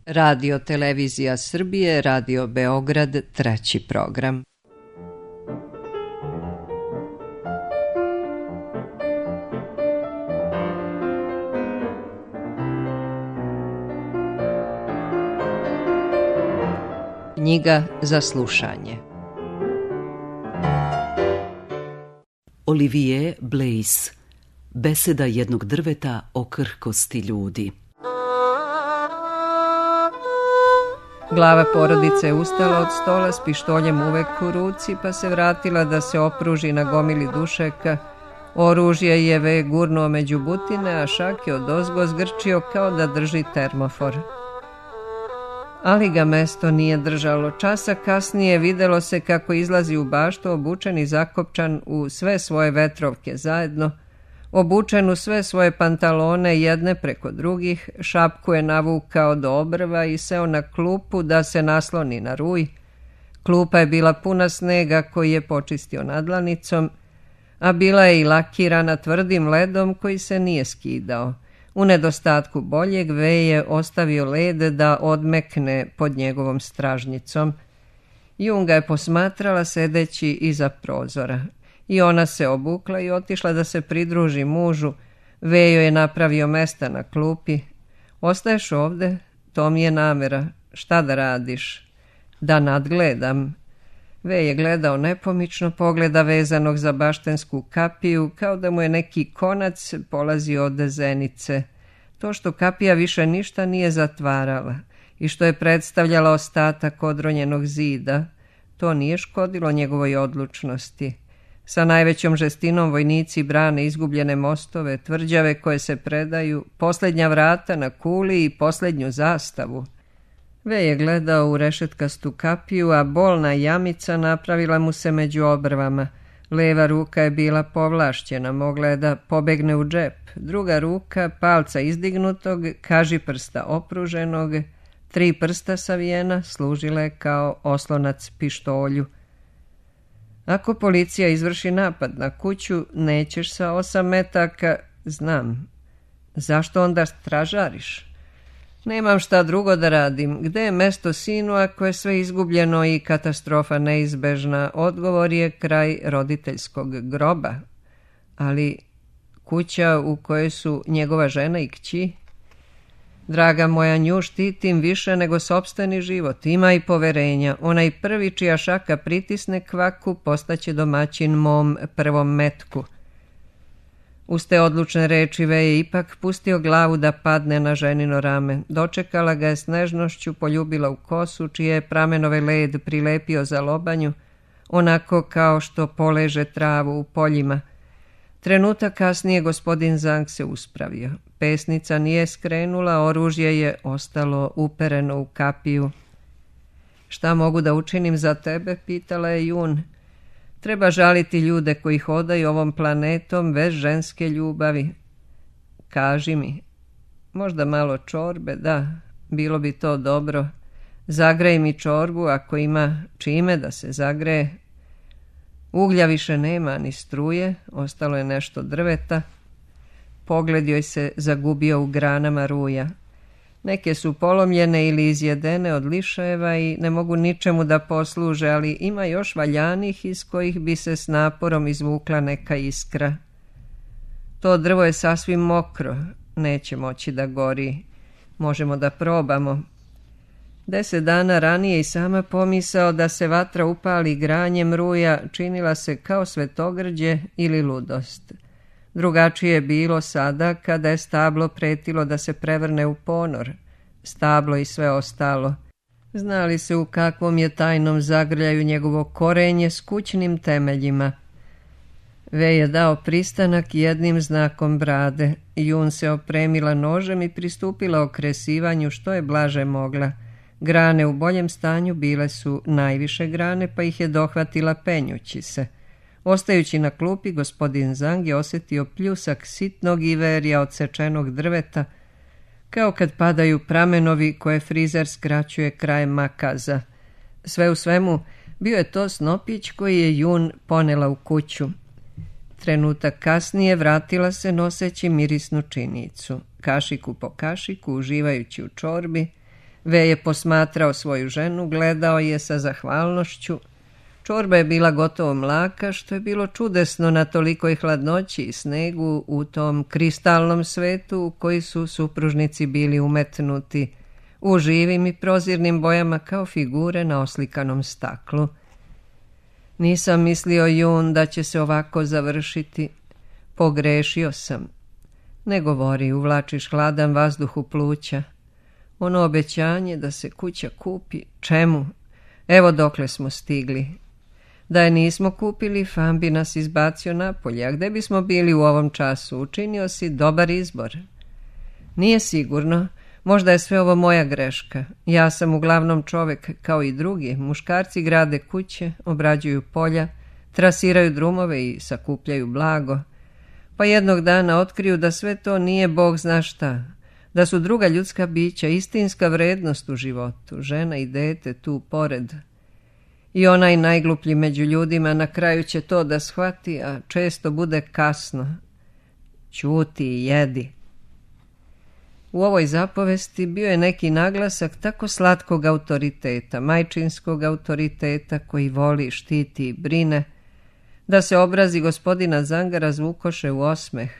Radio Televizija Srbije, Radio Beograd, treći program. Knjiga za slušanje. Olivier Blaise. Beseda jednog drveta o krhkosti ljudi. Glava porodice je ustala od stola s pištoljem uvek u ruci, pa se vratila da se opruži na gomili dušeka. Oružje je Ve gurnuo među butine, a Šak je odozgo zgrčio kao da drži termofor. Ali ga mesto nije držalo. Časa kasnije videlo se kako izlazi u baštu obučen i zakopčan u sve svoje vetrovke zajedno, obučen u sve svoje pantalone jedne preko drugih, šapku je navukao do obrva i seo na klupu da se nasloni na ruj. Klupa je bila puna snega koji je počistio nadlanicom, a bila je i lakirana tvrdim ledom koji se nije skidao. U nedostatku boljeg Ve je ostavio led da odmekne pod njegovom stražnjicom. Jun ga je posmatrala sedeći iza prozora. I ona se obukla i otišla da se pridruži mužu. Ve joj je napravio mesta na klupi. Ostaješ ovde? To mi je namera. Šta da radiš? Da nadgledam. Ve je gledao nepomično, pogleda vezanog za baštensku kapiju, kao da mu je neki konac polazio od zenice. To što kapija više ništa nije zatvarala i što je predstavljala ostatak odronjenog zida, to nije škodilo njegovoj odlučnosti. Sa najvećom žestinom vojnici brane izgubljene mostove, tvrđave koje se predaju, posljednja vrata na kuli i posljednju zastavu. Ve je gledao u rešetkastu kapiju, a bolna jamica napravila mu se među obrvama. Leva ruka je bila povlašćena, mogla je da pobegne u džep. Druga ruka, palca izdignutog, kažiprsta opruženog, 3 prsta savijena, služila je kao oslonac pištolju. Ako policija izvrši napad na kuću, nećeš sa 8 metaka, znam. Zašto onda stražariš? Nemam šta drugo da radim. Gde je mesto sinu ako je sve izgubljeno i katastrofa neizbežna? Odgovor je kraj roditeljskog groba. Ali kuća u kojoj su njegova žena i kći? Draga moja, nju štitim više nego sopstveni život. Ima i poverenja. Onaj prvi čija šaka pritisne kvaku postaće domaćin mom prvom metku. Uz te odlučne reči Ve je ipak pustio glavu da padne na ženino rame. Dočekala ga je s nežnošću, poljubila u kosu, čije je pramenove led prilepio za lobanju, onako kao što poleže travu u poljima. Trenutak kasnije gospodin Zang se uspravio. Pesnica nije skrenula, oružje je ostalo upereno u kapiju. Šta mogu da učinim za tebe, pitala je Jun. Treba žaliti ljude koji hodaju ovom planetom bez ženske ljubavi. Kaži mi, možda malo čorbe, da, bilo bi to dobro. Zagrej mi čorbu ako ima čime da se zagreje. Uglja više nema ni struje, ostalo je nešto drveta. Pogled joj se zagubio u granama ruja. Neke su polomljene ili izjedene od lišajeva i ne mogu ničemu da posluže, ali ima još valjanih iz kojih bi se s naporom izvukla neka iskra. To drvo je sasvim mokro, neće moći da gori. Možemo da probamo. 10 dana ranije i sama pomisao da se vatra upali granjem ruja činila se kao svetogrđe ili ludost. Drugačije je bilo sada kada je stablo pretilo da se prevrne u ponor. Stablo i sve ostalo. Znali se u kakvom je tajnom zagrljaju njegovo korenje s kućnim temeljima. Ve je dao pristanak jednim znakom brade. Jun se opremila nožem i pristupila okresivanju što je blaže mogla. Grane u boljem stanju bile su najviše grane, pa ih je dohvatila penjući se. Ostajući na klupi, gospodin Zang je osjetio pljusak sitnog iverja odsečenog drveta, kao kad padaju pramenovi koje frizer skraćuje krajem makaza. Sve u svemu, bio je to snopić koji je Jun ponela u kuću. Trenutak kasnije vratila se noseći mirisnu činicu. Kašiku po kašiku, uživajući u čorbi, Ve je posmatrao svoju ženu, gledao je sa zahvalnošću. Čorba je bila gotovo mlaka, što je bilo čudesno na tolikoj hladnoći i snegu u tom kristalnom svetu u koji su supružnici bili umetnuti, u živim i prozirnim bojama kao figure na oslikanom staklu. Nisam mislio, Jun, da će se ovako završiti. Pogrešio sam. Ne govori, uvlačiš hladan vazduh u pluća. Ono obećanje da se kuća kupi, čemu? Evo dokle smo stigli. Da je nismo kupili, Fan bi nas izbacio napolje, a gde bismo bili u ovom času? Učinio si dobar izbor. Nije sigurno, možda je sve ovo moja greška. Ja sam uglavnom čovek kao i drugi. Muškarci grade kuće, obrađuju polja, trasiraju drumove i sakupljaju blago. Pa jednog dana otkriju da sve to nije Bog zna šta, da su druga ljudska bića, istinska vrednost u životu, žena i dete tu pored. I onaj najgluplji među ljudima na kraju će to da shvati, a često bude kasno. Ćuti i jedi. U ovoj zapovesti bio je neki naglasak tako slatkog autoriteta, majčinskog autoriteta koji voli, štiti i brine, da se obrazi gospodina Zanga razvukoše u osmeh.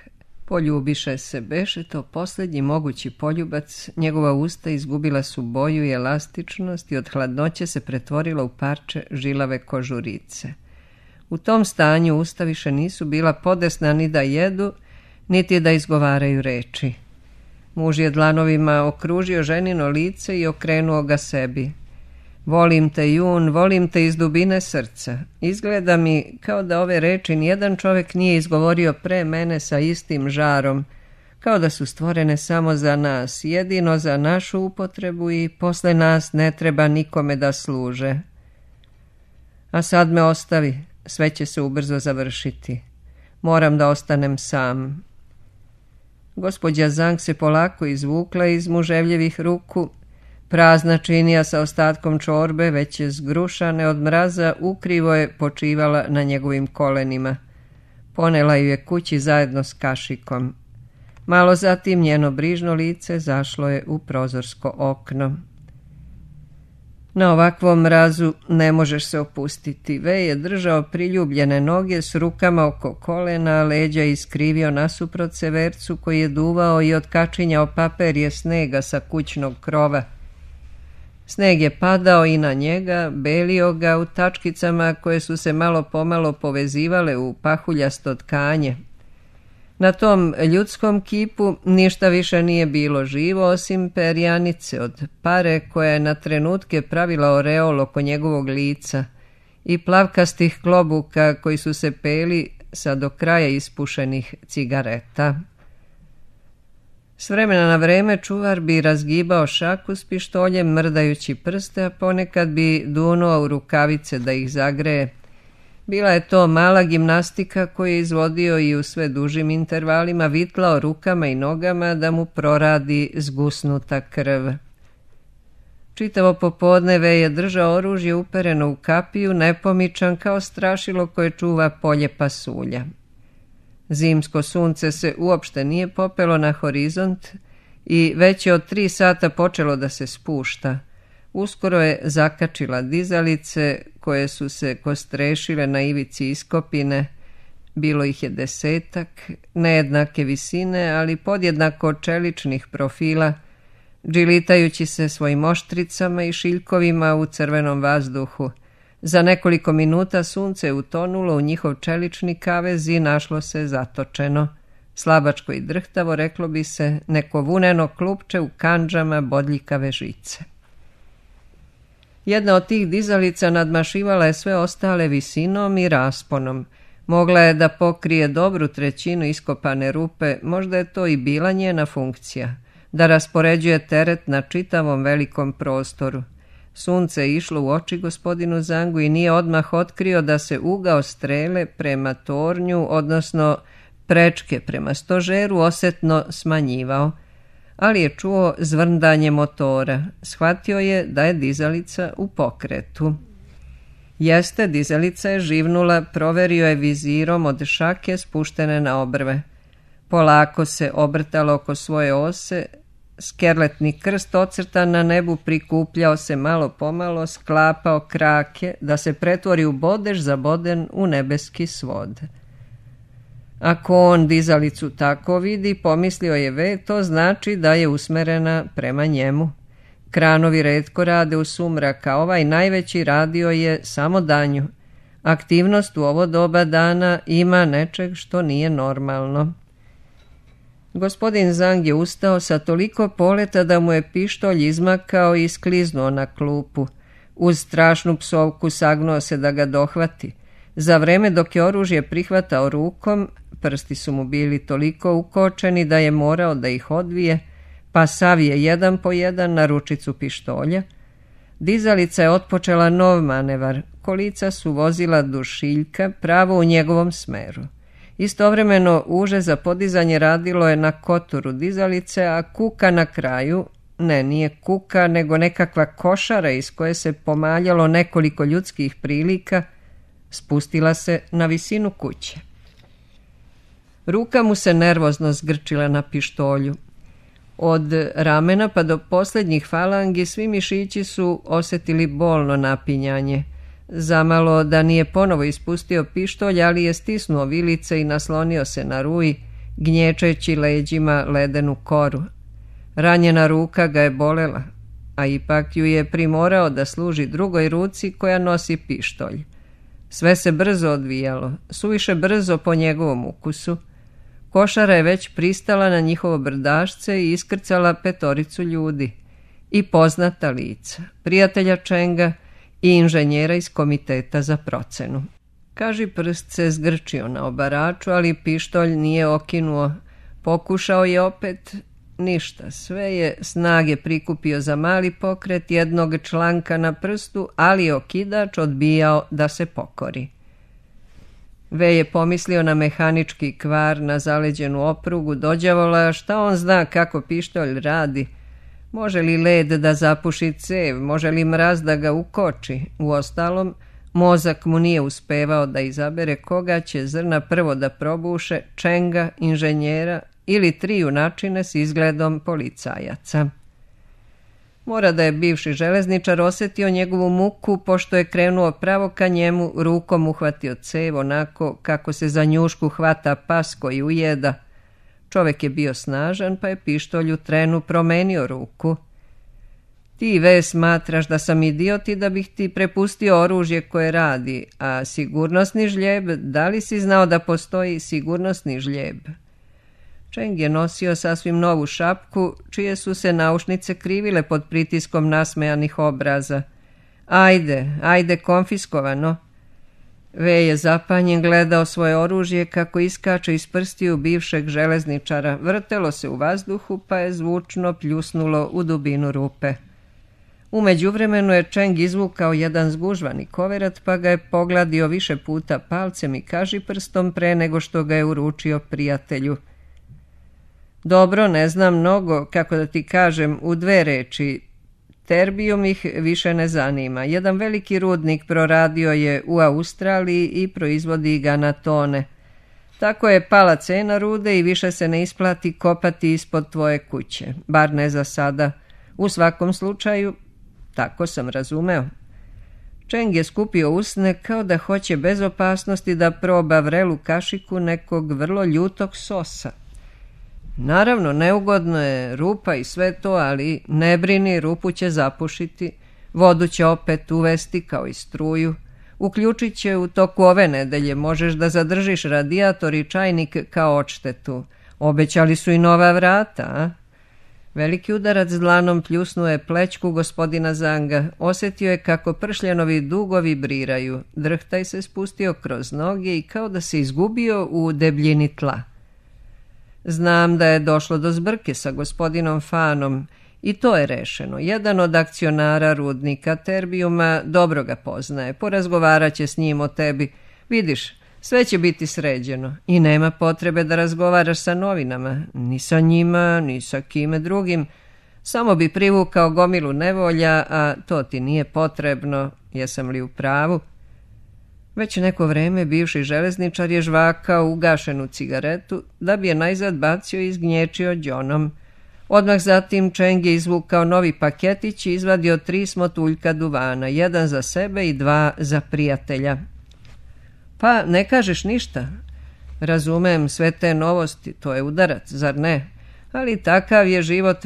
Poljubiše se, beše to posljednji mogući poljubac, njegova usta izgubila su boju i elastičnost i od hladnoće se pretvorila u parče žilave kožurice. U tom stanju usta više nisu bila podesna ni da jedu, niti da izgovaraju reči. Muž je dlanovima okružio ženino lice i okrenuo ga sebi. Volim te, Jun, volim te iz dubine srca. Izgleda mi kao da ove reči nijedan čovjek nije izgovorio pre mene sa istim žarom, kao da su stvorene samo za nas, jedino za našu upotrebu i posle nas ne treba nikome da služe. A sad me ostavi, sve će se ubrzo završiti. Moram da ostanem sam. Gospođa Zang se polako izvukla iz muževljevih ruku. Prazna činija sa ostatkom čorbe, već je zgrušane od mraza, ukrivo je počivala na njegovim kolenima. Ponela ju je kući zajedno s kašikom. Malo zatim njeno brižno lice zašlo je u prozorsko okno. Na ovakvom mrazu ne možeš se opustiti. Ve je držao priljubljene noge s rukama oko kolena, a leđa iskrivio nasuprot severcu koji je duvao i otkačinjao paperje snega sa kućnog krova. Sneg je padao i na njega, belio ga u tačkicama koje su se malo pomalo povezivale u pahuljasto tkanje. Na tom ljudskom kipu ništa više nije bilo živo osim perjanice od pare koja je na trenutke pravila oreol oko njegovog lica i plavkastih klobuka koji su se peli sa do kraja ispušenih cigareta. S vremena na vreme čuvar bi razgibao šaku s pištoljem mrdajući prste, a ponekad bi dunuo u rukavice da ih zagreje. Bila je to mala gimnastika koju je izvodio i u sve dužim intervalima vitlao rukama i nogama da mu proradi zgusnuta krv. Čitavo popodne Ve je držao oružje upereno u kapiju, nepomičan kao strašilo koje čuva polje pasulja. Zimsko sunce se uopšte nije popelo na horizont i već je od 3 sata počelo da se spušta. Uskoro je zakačila dizalice koje su se kostrešile na ivici iskopine. Bilo ih je 10, nejednake visine, ali podjednako čeličnih profila, džilitajući se svojim oštricama i šiljkovima u crvenom vazduhu. Za nekoliko minuta sunce je utonulo u njihov čelični kavez i našlo se zatočeno. Slabačko i drhtavo, reklo bi se, neko vuneno klupče u kandžama bodljikave žice. Jedna od tih dizalica nadmašivala je sve ostale visinom i rasponom. Mogla je da pokrije dobru trećinu iskopane rupe, možda je to i bila njena funkcija, da raspoređuje teret na čitavom velikom prostoru. Sunce je išlo u oči gospodinu Zangu i nije odmah otkrio da se ugao strele prema tornju, odnosno prečke prema stožeru, osetno smanjivao, ali je čuo zvrndanje motora. Shvatio je da je dizalica u pokretu. Jeste, dizalica je živnula, proverio je vizirom od šake spuštene na obrve. Polako se obrtalo oko svoje ose, Skerletni krst ocrtan na nebu prikupljao se malo pomalo, sklapao krake da se pretvori u bodež zaboden u nebeski svod. Ako on dizalicu tako vidi, pomislio je V, to znači da je usmerena prema njemu. Kranovi retko rade u sumrak, a ovaj najveći radio je samo danju. Aktivnost u ovo doba dana ima nečeg što nije normalno. Gospodin Zang je ustao sa toliko poleta da mu je pištolj izmakao i skliznuo na klupu. Uz strašnu psovku sagnuo se da ga dohvati. Za vreme dok je oružje prihvatao rukom, prsti su mu bili toliko ukočeni da je morao da ih odvije, pa savije jedan po jedan na ručicu pištolja. Dizalica je otpočela nov manevar, kolica su vozila dušiljka pravo u njegovom smeru. Istovremeno uže za podizanje radilo je na koturu dizalice, a kuka na kraju, nije kuka, nego nekakva košara iz koje se pomaljalo nekoliko ljudskih prilika, spustila se na visinu kuće. Ruka mu se nervozno zgrčila na pištolju. Od ramena pa do posljednjih falangi svi mišići su osjetili bolno napinjanje. Zamalo da nije ponovo ispustio pištolj, ali je stisnuo vilice i naslonio se na ruj, gnječeći leđima ledenu koru. Ranjena ruka ga je bolela, a ipak ju je primorao da služi drugoj ruci koja nosi pištolj. Sve se brzo odvijalo, suviše brzo po njegovom ukusu. Košara je već pristala na njihovo brdašce i iskrcala 5 ljudi. I poznata lica, prijatelja Čenga i inženjera iz komiteta za procenu. Kaži prst se zgrčio na obaraču, ali pištolj nije okinuo. Pokušao je opet, ništa. Sve je snage prikupio za mali pokret jednog članka na prstu, ali je okidač odbijao da se pokori. V je pomislio na mehanički kvar, na zaleđenu oprugu, dođavola, šta on zna kako pištolj radi. Može li led da zapuši cev, može li mraz da ga ukoči? Uostalom, mozak mu nije uspevao da izabere koga će zrna prvo da probuše, Čenga, inženjera ili 3 junačine s izgledom policajaca. Mora da je bivši železničar osjetio njegovu muku, pošto je krenuo pravo ka njemu, rukom uhvatio cev onako kako se za njušku hvata pas koji ujeda. Čovjek je bio snažan, pa je pištolj u trenu promenio ruku. Ti, V, smatraš da sam idiot i da bih ti prepustio oružje koje radi, a sigurnosni žljeb, da li si znao da postoji sigurnosni žljeb? Čeng je nosio sasvim novu šapku, čije su se naušnice krivile pod pritiskom nasmejanih obraza. Ajde, konfiskovano. V je zapanjen gledao svoje oružje kako iskače iz prstiju bivšeg železničara. Vrtelo se u vazduhu, pa je zvučno pljusnulo u dubinu rupe. U međuvremenu je Čeng izvukao jedan zgužvani koverat, pa ga je pogladio više puta palcem i kažiprstom pre nego što ga je uručio prijatelju. Dobro, ne znam mnogo, kako da ti kažem, u 2 reči. Terbijum ih više ne zanima. Jedan veliki rudnik proradio je u Australiji i proizvodi ga na tone. Tako je pala cena rude i više se ne isplati kopati ispod tvoje kuće. Bar ne za sada. U svakom slučaju, tako sam razumeo. Čeng je skupio usne kao da hoće bez opasnosti da proba vrelu kašiku nekog vrlo ljutog sosa. Naravno, neugodno je, rupa i sve to, ali ne brini, rupu će zapušiti, vodu će opet uvesti kao i struju, uključit će u toku ove nedelje, možeš da zadržiš radijator i čajnik kao odštetu. Obećali su i nova vrata, a? Veliki udarac dlanom pljusnuo je plećku gospodina Zanga, osjetio je kako pršljenovi dugo vibriraju, drhtaj se spustio kroz noge i kao da se izgubio u debljini tla. Znam da je došlo do zbrke sa gospodinom Fanom i to je rešeno. Jedan od akcionara rudnika Terbijuma dobro ga poznaje, porazgovarat će s njim o tebi. Vidiš, sve će biti sređeno i nema potrebe da razgovaraš sa novinama, ni sa njima, ni sa kime drugim. Samo bi privukao gomilu nevolja, a to ti nije potrebno, jesam li u pravu? Već neko vreme bivši železničar je žvakao ugašenu cigaretu da bi je najzad bacio i izgnječio đonom. Odmah zatim Čeng je izvukao novi paketić i izvadio 3 smotuljka duvana, 1 za sebe i 2 za prijatelja. Pa ne kažeš ništa? Razumem sve te novosti, to je udarac, zar ne? Ali takav je život,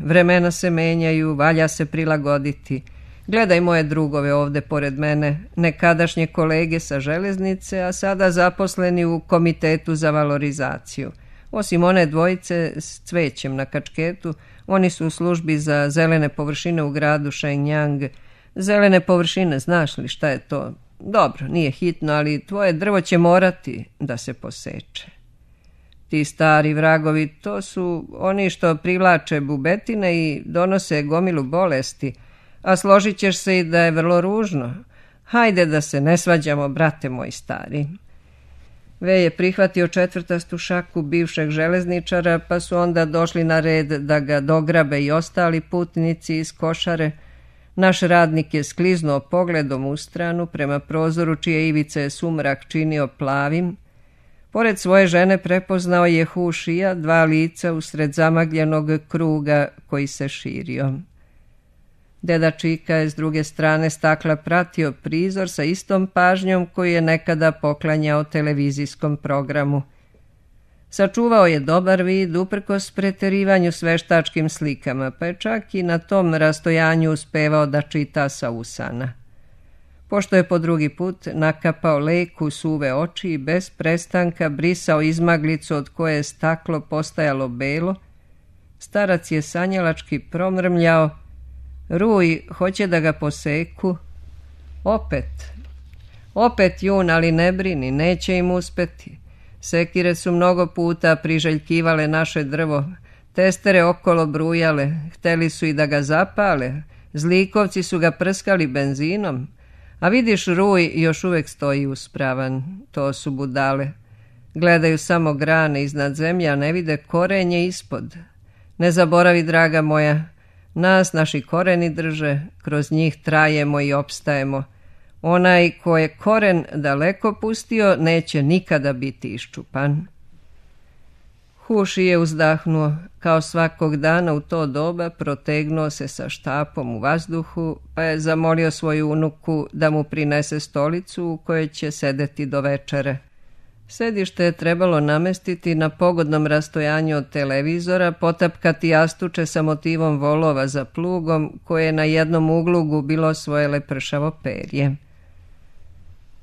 vremena se menjaju, valja se prilagoditi. Gledaj moje drugove ovde pored mene, nekadašnje kolege sa železnice, a sada zaposleni u komitetu za valorizaciju. Osim one dvojice s cvećem na kačketu, oni su u službi za zelene površine u gradu Shenyang. Zelene površine, znaš li šta je to? Dobro, nije hitno, ali tvoje drvo će morati da se poseče. Ti stari vragovi, to su oni što privlače bubetine i donose gomilu bolesti, a složit ćeš se i da je vrlo ružno. Hajde da se ne svađamo, brate moj stari. Ve je prihvatio 4. šaku bivšeg železničara, pa su onda došli na red da ga dograbe i ostali putnici iz košare. Naš radnik je skliznuo pogledom u stranu prema prozoru čije ivice je sumrak činio plavim. Pored svoje žene prepoznao je Hu Shija, 2 lica usred zamagljenog kruga koji se širio. Deda Čika je s druge strane stakla pratio prizor sa istom pažnjom koju je nekada poklanjao televizijskom programu. Sačuvao je dobar vid uprkos preterivanju s veštačkim slikama, pa je čak i na tom rastojanju uspevao da čita sa usana. Pošto je po drugi put nakapao lek u suve oči i bez prestanka brisao izmaglicu od koje je staklo postajalo belo, starac je sanjalački promrmljao: Ruj, hoće da ga poseku. Opet Jun, ali ne brini, neće im uspeti. Sekire su mnogo puta priželjkivale naše drvo, testere okolo brujale, hteli su i da ga zapale, zlikovci su ga prskali benzinom, a vidiš, Ruj još uvek stoji uspravan. To su budale. Gledaju samo grane iznad zemlje, a ne vide korenje ispod. Ne zaboravi, draga moja, nas naši koreni drže, kroz njih trajemo i opstajemo. Onaj ko je koren daleko pustio, neće nikada biti iščupan. Hu Shi je uzdahnuo. Kao svakog dana u to doba protegnuo se sa štapom u vazduhu, pa je zamolio svoju unuku da mu prinese stolicu u kojoj će sedeti do večere. Sedište je trebalo namestiti na pogodnom rastojanju od televizora, potapkati jastuče sa motivom volova za plugom, koje je na jednom uglu gubilo svoje lepršavo perje.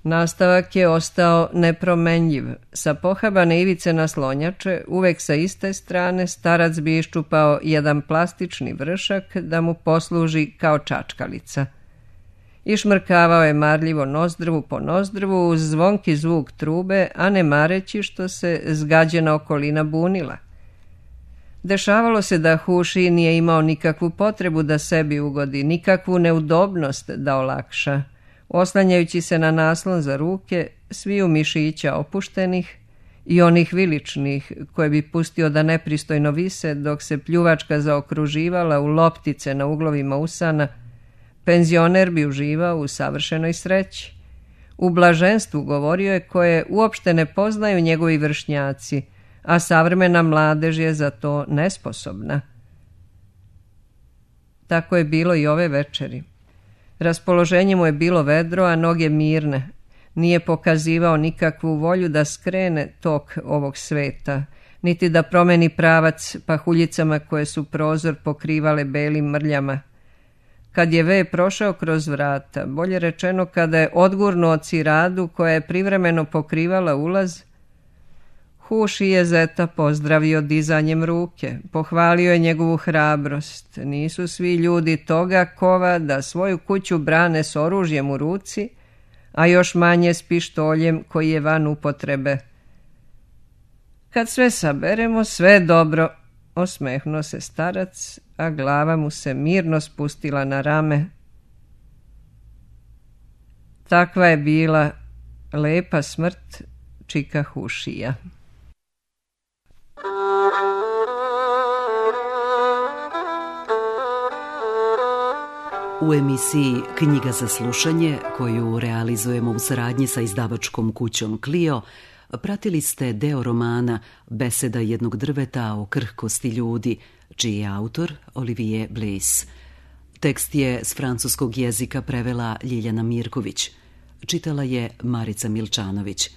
Nastavak je ostao nepromenljiv. Sa pohabane ivice naslonjače, uvek sa iste strane, starac bi iščupao jedan plastični vršak da mu posluži kao čačkalica. Išmrkavao je marljivo nozdrvu po nozdrvu uz zvonki zvuk trube, a ne mareći što se zgađena okolina bunila. Dešavalo se da Hu Shi nije imao nikakvu potrebu da sebi ugodi, nikakvu neudobnost da olakša. Oslanjajući se na naslon za ruke, sviju mišića opuštenih i onih viličnih koje bi pustio da nepristojno vise dok se pljuvačka zaokruživala u loptice na uglovima usana, penzioner bi uživao u savršenoj sreći. U blaženstvu, govorio je, koje uopšte ne poznaju njegovi vršnjaci, a savremena mladež je za to nesposobna. Tako je bilo i ove večeri. Raspoloženje mu je bilo vedro, a noge mirne. Nije pokazivao nikakvu volju da skrene tok ovog sveta, niti da promeni pravac pahuljicama koje su prozor pokrivale belim mrljama. Kad je Ve prošao kroz vrata, bolje rečeno kada je odgurnuo ciradu koja je privremeno pokrivala ulaz, Hu Shi je zeta pozdravio dizanjem ruke, pohvalio je njegovu hrabrost. Nisu svi ljudi toga kova da svoju kuću brane s oružjem u ruci, a još manje s pištoljem koji je van upotrebe. Kad sve saberemo, sve dobro, osmehnuo se starac, a glava mu se mirno spustila na rame. Takva je bila lepa smrt Čika Hu Shija. U emisiji Knjiga za slušanje, koju realizujemo u saradnji sa izdavačkom kućom Clio, pratili ste deo romana Beseda jednog drveta o krhkosti ljudi, čiji je autor Olivier Bliss. Tekst je s francuskog jezika prevela Ljiljana Mirković. Čitala je Marica Milčanović.